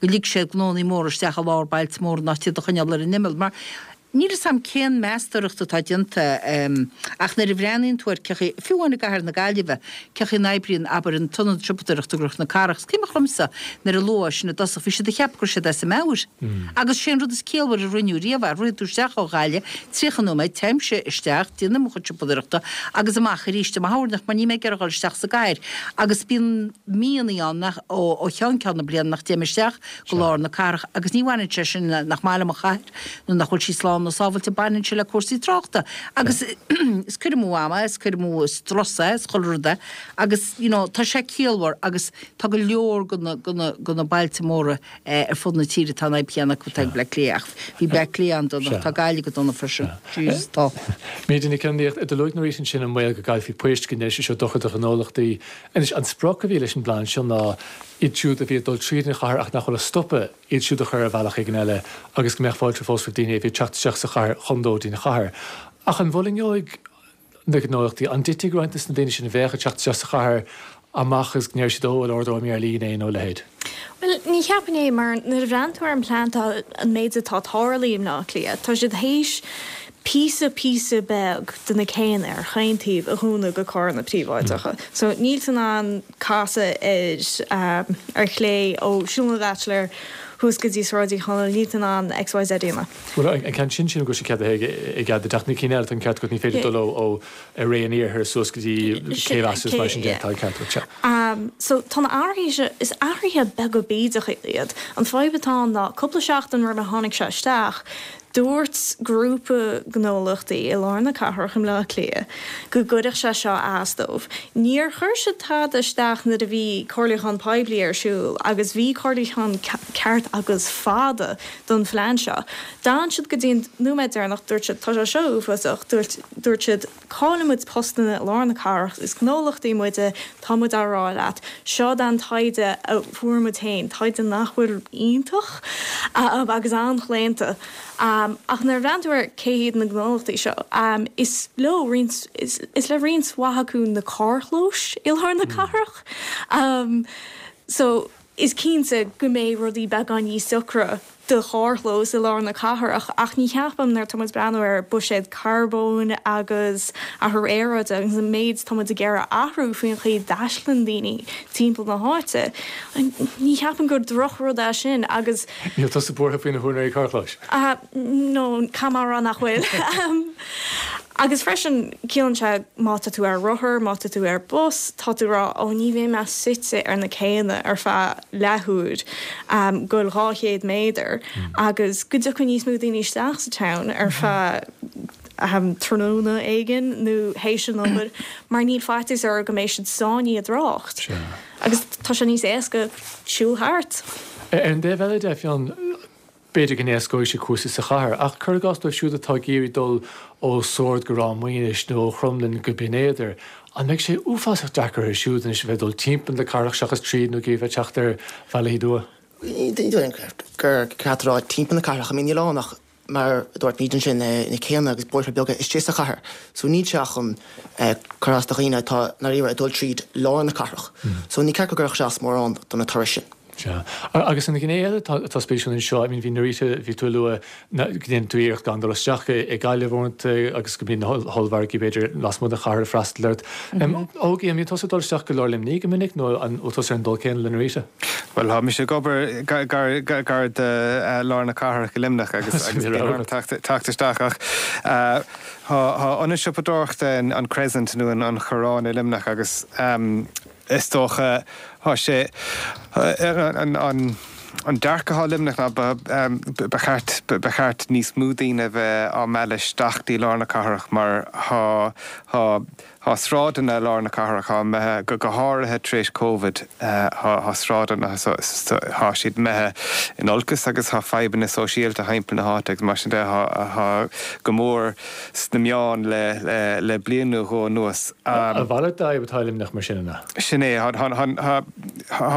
go lig siad gnónnaí móra isteach i lár bailte móra in áit iad a choinneáil ar an imeall mar níl fhios a'm cén meastóireacht atá déanta ach nuair a bhreathnaíonn tú ar cé chaoi, fiú amháin i gcathair na Gaillimhe, cé chaoi a n-oibríonn, abair, an t-ionad siopadóireachta i gCnoc na Cathrach. Is cuimhneach liomsa nuair a luadh sin i dtosach, bhí siad ag ceapadh go raibh siad as a meabhair. Agus sé an rud is ciallmhaire a rinneadh riamh é, rithfidh tú isteach ó Ghaillimh, tríocha nóiméad, téimse isteach, déanaim mo chuid siopadóireachta agus amach arís i mo thoirneach mar níl mé ag iarraidh a dhul isteach sa gcathair. Agus bíonn míonna ann nach, ó cheann ceann na bliana nach dtéim isteach go lár na cathrach agus ní bhaineann sé sin le nach maith liom an chathair nó nach bhfuil sí slán nó sábhailte, baineann sé le cúrsaí tráchta agus is cur amú ama é, is cur amú strus é, is chuile rud é agus you know tá sé ciallmhar agus tá go leor de na, de na, de na bailte móra ar fud na tíre atá an fhadhb chéanna acu atá ag Bleá Cliath ach bhí Bleá Cliath an-dona, tá Gaillimh go dona freisin. Jesus tá. Míde Nic Fhionnaíocht, luaigh Norita ansin an baol go gcaillfí poist, go ndéanfaidh sé seo dochar do ghnólachtaí. Anois, an sprioc a bhí leis an bplean seo ná iad siúd a bhí ag dul tríd an chathair ach nach bhfuil ag stopadh, iad siúd a chur ar bhealach éigin eile agus go mbeadh fáilte fós roimh daoine a bhí ag teacht isteach sa chathair chun dul dtí an chathair. Ach an bhfulaingeoidh na gnólachtaí? An dtitfidh roinnt de na daoine sin a bheadh ag teacht isteach sa chathair amach agus go ndéarfaidh siad, 'Ó, bhuel, ordóidh mé ar líne é' nó a leithéid? Bhuel, ní cheapfainn é, mar nuair a bhreathnaíonn tú ar an bplean tá an méid atá tarlaithe i mBleá Cliath, tá siad théis píosa píosa beag de na céanna ar chaon taobh a dhúnadh do charranna príobháideacha. So níl tú in ann casadh ar um, ar chlé ó Siúl na mBaitsiléir thuas go dtí Sráid Uí Chonaill, níl tú in ann X Y Z a dhéanamh. Bhuel, an ceann sin sin go sé cead i gcead de na cinn eile, an ceart agat, ní féidir dul ó ar ré an iarthar suas go dtí Cé as mar sin de, tá an ceart agat. Um, so tá na athruithe, is athruithe beaga bídeacha iad. An fadhb atá ná cúpla seachtain roimh a tháinig sé isteach, dúirt grúpa gnólachtaí i lár na cathrach i mBleá Cliath go gcuirfeadh sé seo as dóibh. Níor chuir siad tada isteach nuair a bhí comhairliúchán poiblí ar siúl agus bhí comhairliúchán ceart agus fada don phlean seo. D'fhan siad go dtí an nóiméad deireanach, dúirt siad tá sé seo uafásach, dúirt dúirt siad caillfidh muid postanna i lár na cathrach, is gnólachtaí muide, tá muid á rá leat, seo an taighde a fuair muid féin, taighde nach bhfuil iontach agus an-chlaonta. Um, ach nuair a bhreathnaíonn tú ar cé hiad na gnólachtaí seo, um, is leo roinnt is, is le roinnt mhaith acu na carrchlóis i lár na cathrach. Um, so is cinnte go mbeidh rudaí beagán níos socra do charrchlós i lár na cathrach, ach ní cheapaim nuair tá muid ag breathnú ar buiséad carbóin agus athrú aeráide agus an méid tá muid ag iarraidh athrú faoin chaoi a dtaistealaíonn daoine timpeall na háite. Ní cheapaim gur drochrud é sin agus Níl tusa buartha faoi na húinéirí carrchlóis? Uh, no, caithfidh mé a rá nach bhfuil. um, agus freisin ciallaíonn sé má tá tú ar rothar, má tá tú ar bus, tá tú rá ó ní bheidh mé suite ar na céanna ar feadh leathuair um, go dhá chéad méadar mm. agus go dtiocfaidh níos mó daoine isteach sa town ar feadh um, tráthnóna éigin nó théis an obair mar níl faitíos orthu go mbeidh siad sáinnithe i dtrácht. Agus tá sé níos éasca siúl thart. Ar an dtaobh eile de, Fionn, b'fhéidir go n-éascóidh sé cúrsaí sa chathair, ach cuir i gcás dóibh siúd atá ag iarraidh dul ó Sord go Ráth Maoinis nó ó Chromghlinn go Binn Éadair, an mbeidh sé uafásach deacair orthu siúd anois a bheith dul timpeall na cathrach seachas tríd nó ag teacht ar bhealaí nua? Gur ceart a rá timpeall na cathrach, I mean, níl ann ach mar dúirt muid ansin na céanna agus bóithre beaga istigh sa chathair. So níl sé chun cur as do dhaoine atá ag iarraidh dul tríd lár na cathrach. So ní ceart go gcuirfeadh sé as mórán do na turais sin. Sea. Agus an ghné eile atá spéisiúil anseo, I mean, bhí Norita, bhí tú ag lua go ndéanann tú iarracht gan dul isteach i Gaillimh uaireanta agus go mbíonn na hollmhargaí b'fhéidir lasmuigh den chathair ag freastal ort. Ógie, an mbíonn tusa ag dul isteach go lár Luimnigh go minic nó an bhfuil tusa ar an dul céanna le Norita? Well, tá mise ag obair gar gar do lár na cathrach i Luimneach agus agus bíonn orm teacht isteach ach tá ionad siopadóireachta an Crescent nó an Chorrán i Luimneach agus is dócha tá sé an an an dearcadh atá i Luimneach ná ba cheart ba cheart níos mó daoine bheith á mealladh isteach dtí lár na cathrach mar tá tá tá sráideanna lár na cathrach tá imithe go go háirithe tar éis Covid tá sráideanna tá siad imithe in olcas agus tá fadhbanna sóisialta timpeall na háite agus mar sin de tá go mór sna meáin le le le bliain nó dhó anuas. A mhalairt d'fhadhb atá i Luimneach mar sin an ea? Sin é, tá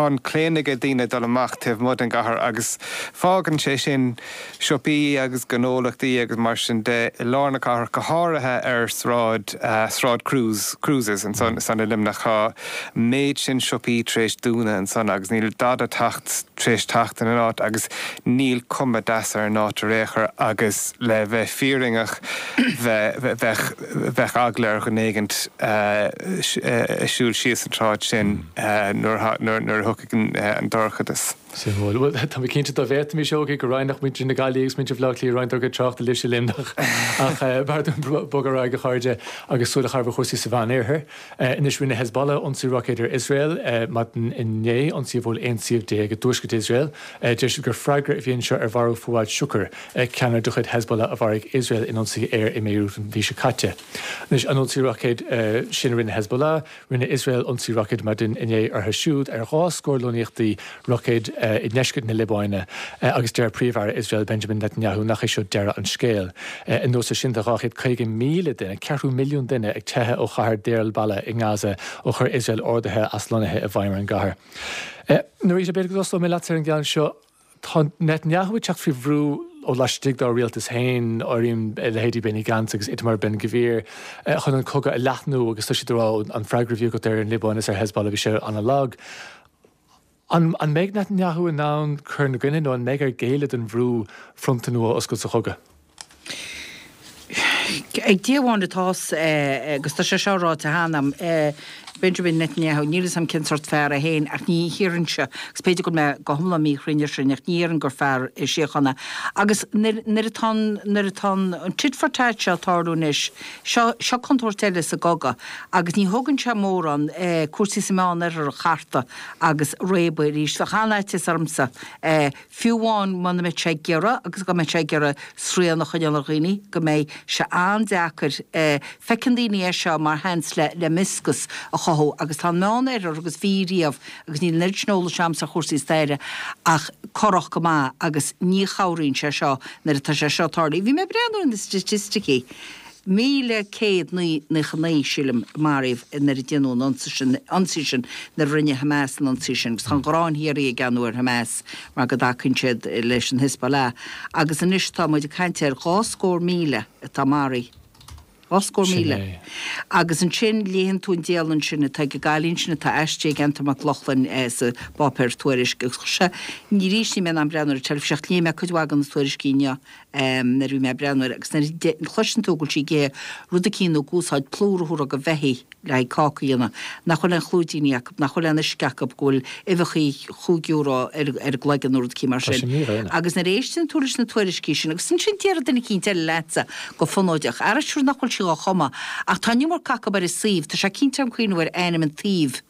an claonadh ag daoine dul amach taobh amuigh den gcathair agus fágann sé sin siopaí agus gnólachtaí agus mar sin de i lár na cathrach go háirithe ar sráid Sráid Cruise Cruises ansan san i Luimneach. Tá méid sin siopaí tar éis dúnadh ansan agus níl dada teacht tar éis teacht ina n-áit agus níl cuma deas ar an áit ar aon chor agus le bheith fírinneach bheadh bheadh eagla ar dhuine éigint siúl síos an tsráid sin nuair nuair a thiocfaidh an dorchadas. Suimiúil. Bhuel, tá mé cinnte dá bhféadfaimis, Ógie, go roinnfeadh muintir na Gaillimhe agus muintir Bhaile Átha Cliath roinnt dár gcuid tráchta libhse i Luimneach. Ach b'fhearr dúinn bogadh ar aghaidh, a chairde, agus súil a chaitheamh ar chúrsaí sa Mheánoirthear. Anois rinne Hezbollah ionsaí roicéid ar Iosrael maidin inné, ionsaí a bhuail aon suíomh déag i dtuaisceart Iosrael. Deir siad gur freagra a bhí anseo ar mharú Fuad Shukr, ceannaire de chuid Hezbollah a mharaigh Iosrael in ionsaí aeir i mBeirut an mhí seo caite. Anois an ionsaí roicéid sin a rinne Hezbollah, rinne Iosrael ionsaí roicéid maidin inné orthu siúd ar dhá scór lonnaíochtaí roicéid i ndeisceart na Liobáine agus deir Príomh-Aire Iosrael Benjamin Netanyahu nach é seo deireadh an scéil. Anuas air sin tá dhá chéad caoga míle duine, ceathrú milliún duine ag teitheadh ó chathair Deir al-Balah i nGaza ó chuir Iosrael orduithe aslonnaithe i bhfeidhm ar an gcathair. Norita, b'fhéidir go dtosóidh mé leat ar an gceann seo. Tá Netanyahu ag teacht faoi bhrú ó laistigh dá rialtas féin, áirím leithéidí Benny Gantz agus Itamar Ben-Gvir, chun an cogadh a leathnú agus tá siad ag rá an freagra a bhí agat ar an Liobáin is ar Hezbollah bhí sé an-lag. An an mbeidh Netanyahu in ann cur ina gcoinne nó an mbeidh air géilleadh don bhrú fronta nua a oscailt sa chogadh? Ag Dia amháin atá agus tá sé seo ráite cheana agam, Benjamin Netanyahu, níl 'fhios a'm cén sórt fear é féin ach ní hiarrainnse, agus b'fhéidir go bhfuil mé go hiomlán míchruinn ar sin, ach ní dhéarfainn gur fear síochána. Agus nuair nuair atá an nuair atá an tit for tat seo ag tarlú anois, seo seo contúirt eile sa gcogadh agus ní thógann sé mórán cúrsaí sa Meánoirthear a chartadh agus réabadh arís. Bheadh an-fhaitíos ormsa, fiú amháin muna mbeadh sé ag iarraidh agus go mbeadh sé ag iarraidh srian a choinneáil ar dhaoine, go mbeidh sé an-deacair. Feiceann daoine é seo mar sheans le le mioscais a chothú agus tá an Meánoirthear agus bhí riamh agus níl an oiread sin eolais a'msa ar chúrsaí staire ach corrach go maith agus ní chabhraíonn sé seo nuair atá sé seo ag tarlú. Bhí mé ag breathnú ar na staitisticí. míle céad naocha naoi, sílim, maraíodh nuair a déanadh an ionsaí sin, ionsaí sin, nuair a rinne Hamas an ionsaí sin. Agus tá an ghráin shíoraí ag Anwar ar Hamas mar go dtacaíonn siad leis an Hezbollah. Agus anois tá muid ag caint ar dhá scór míle atá maraithe. Dhá scór míle. Agus ansin léann tú an dialann sin atá ag an gcailín sin atá aistrithe ag Antain Mac Lochlainn sa bpáipéar Tuairisc. Agus chuir sé, ní arís ní mé in ann breathnú ar an teilifís ach léigh mé cuid mhaith de na tuairiscí inniu nuair a bhí mé ag breathnú air agus nuair a chloiseann tú go bhfuil sí ag ithe rud eicínt nó ag úsáid plúr a thabharfá do bheithígh le haghaidh cáca a dhéanamh, nach bhfuil aon chlúidíní acu, nach bhfuil aon uisce acu, go bhfuil uibheachaí chúig euro ar ar an gcloigeann nó rud eicínt mar sin. Agus nuair a éisteann tú leis na tuairiscí sin, agus ansin déarfaidh duine eicínt eile leatsa go fonóideach, ara sure nach bhfuil sí dhá chumadh, ach tá an iomarca acu ar an suíomh, tá sé cinnte agam cuimhneamh ar ainm an tsuímh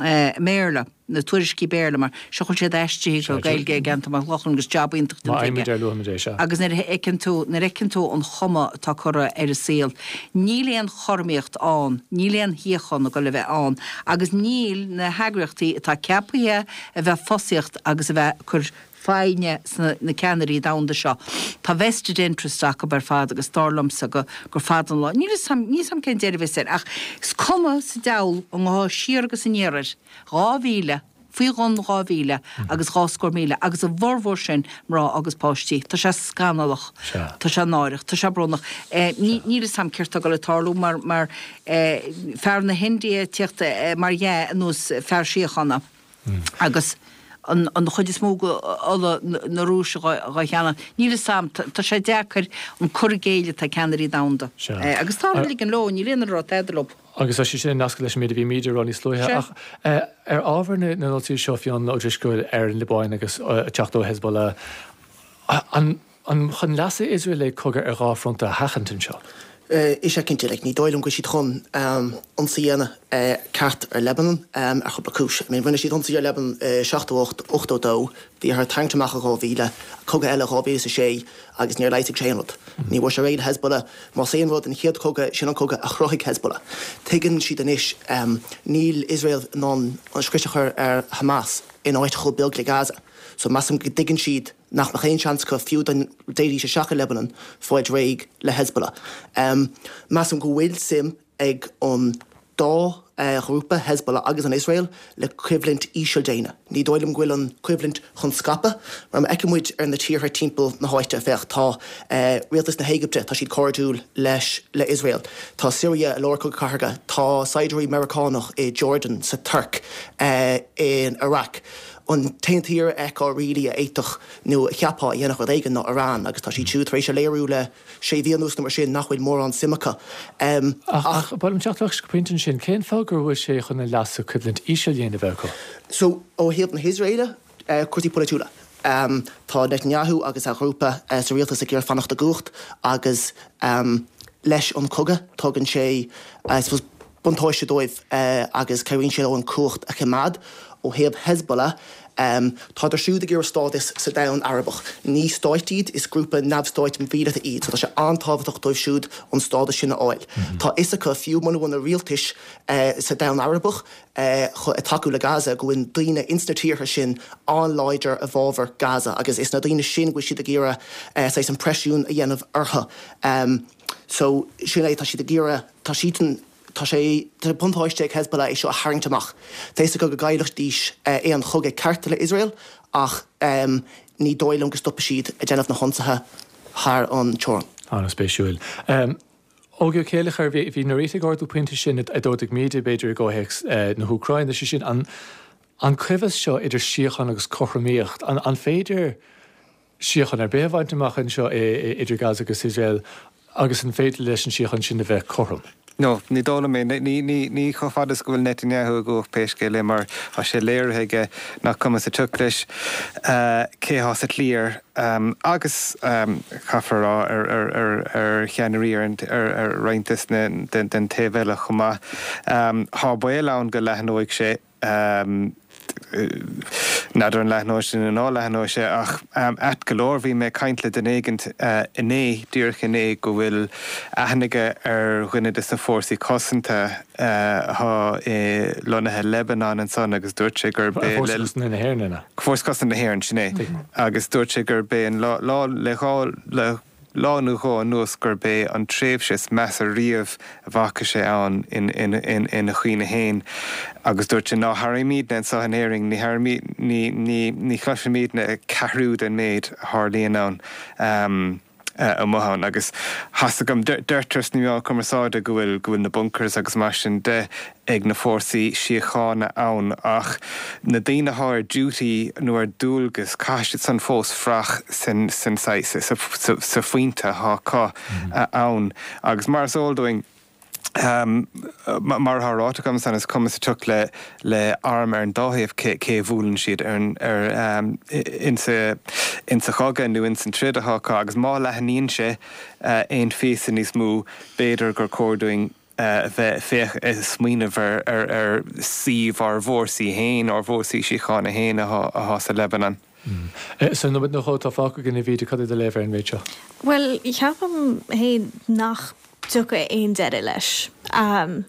i mBéarla, na tuairiscí Béarla, mar seo go bhfuil siad aistrithe go Gaeilge ag Antain Mac Lochlainn agus jab iontach déanta aige. Agus nuair a fheiceann tú, nuair a fheiceann tú an chuma atá curtha ar an saol, níl aon chothromaíocht ann, níl aon shíocháin ag dul a bheith ann agus níl na heagraíochtaí atá ceaptha a bheith ag fosaíocht agus a bheith ag cur foighne sna na ceannairí domhanda seo. Tá vested interest acu ar fad agus dar liomsa go gur fada an lá, níl 'fhios a'm, níl 'fhios a'm cén deireadh a bheas air ach is cuma sa diabhal an ngabhfá siar agus aniar air, dhá mhíle, faoi bhun dhá mhíle agus dhá scór míle agus a bhformhór sin mná agus páistí. Tá sé scannalach. Tá sé náireach. Tá sé brónach. Ní, níl 'fhios a'm céard tá ag dul ag tarlú mar, mar fear na hIndia ag tíocht mar dhea anuas fear síochána agus an chuid is mó de ola na Rúise dhá cheannach. Níl 'fhios a'm, tá sé deacair an cur i gcéill atá ag ceannairí domhanda. Agus táthar ag ligean leo, níl aon duine ag rá tada leo. Agus tá sé sin nasctha leis an méid a bhí Míde a rá níos luaithe. Ach ar ábhar na n-ionsaithe seo, Fionn Ó Drisceoil, ar an Liobáin agus ag teacht ó Hezbollah, an An chun leasa Iosrael é cogadh ar dhá fronta a sheachaint anseo? Is ea cinnte. Like, ní dóigh liom go bhfuil siad chun ionsaí a dhéanamh ceart ar Lebanon ar chúpla cúis. I mean, rinne siad ionsaí ar Lebanon i seachtó ocht, ochtó dó, bhí orthu tarraingt amach i dhá mhíle, cogadh eile dhá mhíle is a sé agus níor leigheasaigh sé aon rud. Ní bhfuair sé réidh le Hezbollah. Más aon rud, an chéad chogadh, sin an cogadh a chruthaigh Hezbollah. Tuigeann siad anois, níl Iosrael in ann an scrios a chur ar Hamas in áit chomh beag le Gaza. So measaim go dtuigeann siad nach mbeadh aon seans acu, fiú dá dtéidís isteach i Lebanon, fáilt réidh le Hezbollah. Measaim go bhfuil suim ag an dá ghrúpa, Hezbollah agus an Iosrael, le coimhlint ísealdéine. Ní dóigh liom go bhfuil an choimhlint chun scaipeadh, mar má fheiceann muid ar na tíortha timpeall na háite, féach, tá rialtas na hÉigipte, tá siad cairdiúil leis, le Iosrael, tá Siria i lár cogadh cathartha, tá saighdiúirí Meiriceánach i Jordan, sa Tuirc, in Iraq. An t-aon tír a fheicfeá really a fhéadfadh nó a cheapfá a dhéanfadh rud éigin ná Iran agus tá siad siúd tar éis a léiriú le sé mhí anuas nó mar sin nach bhfuil mórán suim acu. Ach ach ba mhaith liom teacht ar ais go pointe ansin, cén fáth go bhfuil sé chun a leasa coimhlint ísealdéine a bheith acu? So ó thaobh na hIosraeile, cúrsaí polaitiúla. Tá Netanyahu agus a ghrúpa sa rialtas ag iarraidh fanacht i gcumhacht agus leis an cogadh tugann sé I suppose buntáiste dóibh agus cabhraíonn sé leo an cumhacht a choimeád. Ó thaobh Hezbollah, tádar siúd ag iarraidh stádas sa domhan Arabach. Ní stáit iad, is grúpa neamhstáit míleata iad, so tá sé an-tábhachtach dóibh siúd an stádas sin a fháil. Tá fhios acu, fiú muna bhfuil na rialtais sa domhan Arabach ag tacú le Gaza, go bhfuil daoine ins na tíortha sin an-láidir i bhfabhar Gaza agus is na daoine sin go bhfuil siad ag iarraidh saghas an preisiún a dhéanamh orthu. So sin é, tá siad ag iarraidh, tá siadsan, Tá sé de bhuntáiste ag Hezbollah é seo a tharraingt amach. Tá fhios acu go gcaillfidís aon chogadh ceart le Iosrael ach ní dóigh liom go stopfaidh siad ag déanamh na hionsaithe thar an teorainn. An-spéisiúil. Ógie Ó Céilleachair, bhí Norita ag ardú pointe sin a d'ardaigh Míde, b'fhéidir, i gcomhthéacs na hÚcráine, sé sin, an coimheas seo idir síocháin agus cothromaíocht. An féidir síocháin ar bith a bhaint amach anseo idir Gaza agus Iosrael? Agus an féidir leis an síocháin sin a bheith cothrom? No, ní dóigh liom é. Ní, ní, ní chomh fada is go bhfuil Netanyahu i gcumhacht pé scéal é mar tá sé léirithe aige nach cuma sa tsioc leis cé thá sa chliar agus caithfear a rá ar, ar, ar, ar cheannairí ar, ar, ar roinnt des na, den, den taobh eile chomh maith. Thá baol ann go leathnóidh sé. N'fheadar an leathnóidh sé nó ná leathnóidh sé ach ait go leor bhí mé ag caint le duine éigint inné, díreach inné, go bhfuil aithne aige ar dhuine de na fórsaí cosanta athá lonnaithe i Lebanon ansan agus dúirt sé gurb é Fórsa Cosanta na hÉireann, an ea? Fórsa Cosanta na hÉireann, sin é. Agus dúirt sé gurb é an lá, lá le dhá, le. lá nó dhó anuas gurb é an tréimhse is measa riamh a bhfaca sé ann ina chuimhne fhéin agus dúirt sé ná hairímidne anseo in Éirinn, ní hairímid, ní, ní, ní chloisimidne ceathrú den méid a tharlaíonn ann amuigh ann agus thá's agam, deirtear sna meáin chumarsáide go bhfuil, go bhfuil na bunkers agus mar sin de ag na fórsaí síochána ann ach na daoine athá ar duty nó ar dualgas caithfidh siad san fós fuireach san san saghas sa phointe athá acu ann agus mar is eol dúinn mar athá ráite agam san is cuma sa tsioc le le arm ar an dá thaobh cé cé a bhuaileann siad ar an ar insa insa chogadh nó insan troid athá acu agus má leathnaíonn sé aon phíosa níos mó b'fhéidir gur cóir dúinn bheith féach ag smaoineamh ar ar suíomh ár bhfórsaí féin, ár bhfórsaí síochána féin athá sa Lebanon. Sa nóiméad nó dhó atá fágtha againn, a Mhíde, cad é do léamh ar an méid seo? Bhuel, ceapaim féin nach dtiocfaidh aon deireadh leis.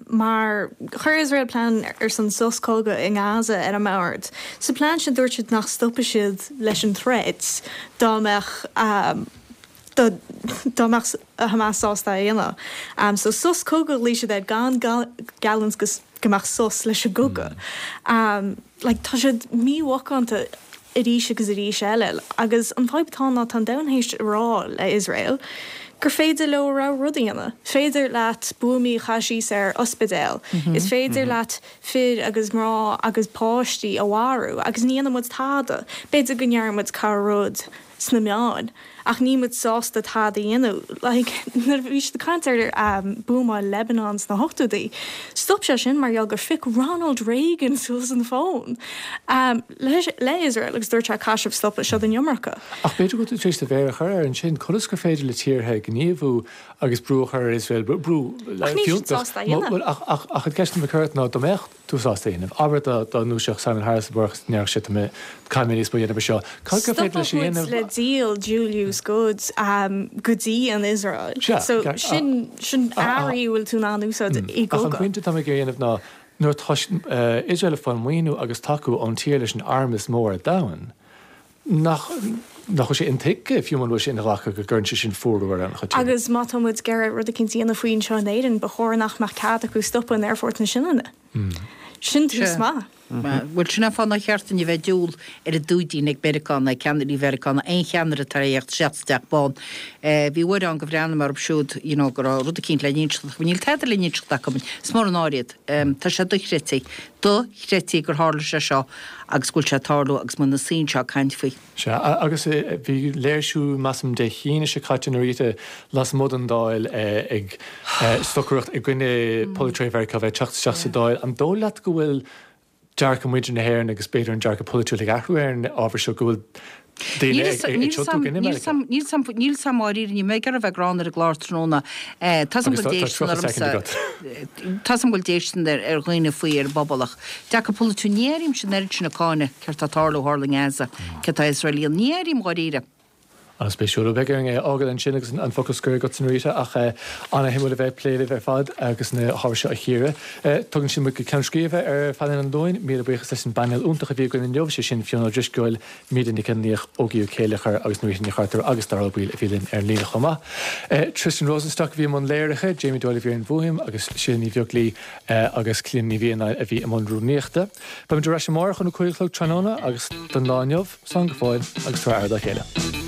Mar chuir Iosrael plean ar son sos cogaidh i nGaza ar an mbord. Sa plean sin dúirt siad nach stopfaidh siad leis an troid dá mbeadh dá mbeadh Hamas sásta é a dhéanamh. So sos cogaidh a ghlaoigh siad air gan geallúint go go mbeadh sos leis an gcogadh. Like tá siad mímhacánta arís agus arís eile agus an fadhb atá ann ná tá an domhan théis a rá le Iosrael gur féidir leo a rogha rud a dhéanamh. Féidir leat buamaí a chaitheamh síos ar ospidéal, is féidir leat fir agus mná agus páistí a mharú agus ní dhéanfaidh muid tada. B'fhéidir go ndéarfaidh muid corr-rud sna meáin ach níl muid sásta tada a dhéanamh. Like, nuair a bhí siad ag caint ar buamáil Lebanon sna hochtóidí, stop sé sin mar gheall gur phioc Ronald Reagan suas an fón le le Israel agus dúirt sé caithfidh sibh stopadh, seo an iomarca. Ach b'fhéidir go bhfuil tú tar éis do mhéar a chur air ansin, conas gur féidir le tíortha gníomhú agus brú a chur ar Iosrael, brú Ach níl siad fiúntach, sásta a dhéanamh. ach ach ach an ceist atá mé ag cur ort ná dá mbeadh tú sásta a dhéanamh, abair dá dá ndúiseodh Simon Harris amárach agus ndéarfadh sé tá mé caithfidh mé níos mó a dhéanamh ar seo, cad gur féidir leis a Stopfadh muid dhéanamh? le díol dual use goods go dtí an Iosrael. Sea, So ceart, sin sin earraí a bhfuil tú in ann úsáid i Ach an gcogadh. pointe atá mé ag iarraidh a dhéanamh ná nuair atá Iosrael ag fáil maoiniú agus tacú ón tír leis an arm is mó ar domhan, nach nach bhfuil sé intuigthe, fiú muna bhfuil sé inghlactha, go gcuireann sé sin fuarú ar an-chuid tíortha. Agus má tá muid ag iarraidh rud eicínt a dhéanamh faoi anseo in Éirinn, ba chóir nach mbeadh cead acu stopadh in Aerfort na Sionainne. Sin tús Sea. maith. Bhuel, sin é an fáth nár cheart dúinn a bheith ag diúl ar an dúidín ag Meiriceá ná ag ceannairí Mheiriceá ná aon cheannaire atá ag teacht isteach sa Teach Bán. Bhí uair ann go bhreathnaigh mé orthu siúd, you know, go raibh rud eicínt le n-inseacht acu. Níl tada le n-inseacht acu. Is mór an náire iad. Tá sé dochreidte. Dochreidte gur tharla sé seo agus go bhfuil sé ag tarlú agus muid ina suí anseo ag caint faoi. Sea, agus bhí léirsiú, measaim, Dé hAoine seo caite, Norita, lasmuigh den Dáil ag stocaireacht i gcoinne polaiteoirí Mheiriceá a bheith ag teacht isteach sa Dáil. An dóigh leat go bhfuil dearcadh muintir na hÉireann agus b'fhéidir an dearcadh polaitiúil ag athrú ar an ábhar seo, go bhfuil daoine ag tiontú i gcoinne Meiriceá? Níl 's a'm, níl 's a'm dháiríre, níl mé ag iarraidh a bheith gránna ar an gclár tráthnóna. Tá 's a'm Agus go tá bhfuil déistin tríocha soicind ormsa, agat. tá 's a'm go bhfuil déistin ar ar dhaoine faoi ar an bpobal ach dearcadh polaitiúil, ní airím-se an oiread sin ag cáineadh céard tá ag tarlú tharla i nGaza, céard tá Iosrael a dhéanamh, ní airím dháiríre. An-spéisiúil. Beidh orainn é a fhágáil ansin agus an focal scoir agatsa Norita ach an-shuimiúil a bheith ag plé libh ar fad agus na hábhair seo a chíoradh. Tugann sin muid go ceann scríbe ar phainéal an Luain. Míle buíochas leis an bpainéal iontach a bhí againn inniu, sé sin Fionn Ó Drisceoil, Míde Nic Fhionnlaoich, Ógie Ó Céilleachair agus Norita Ní Chartúir agus Dara Ó Baoill a bhí linn ar an líne chomh maith. Tristan Rosenstock a bhí i mbun léirithe, Jamie Doyle a bhí ar an bhfuaim agus Síle Ní Bheaglaoi agus Clíona Ní Mhianáin a bhí i mbun rúnaíochta. Beimid ar ais amárach óna cúig a chlog tráthnóna agus don lá inniu, slán go fóill agus tabhair aire dá chéile.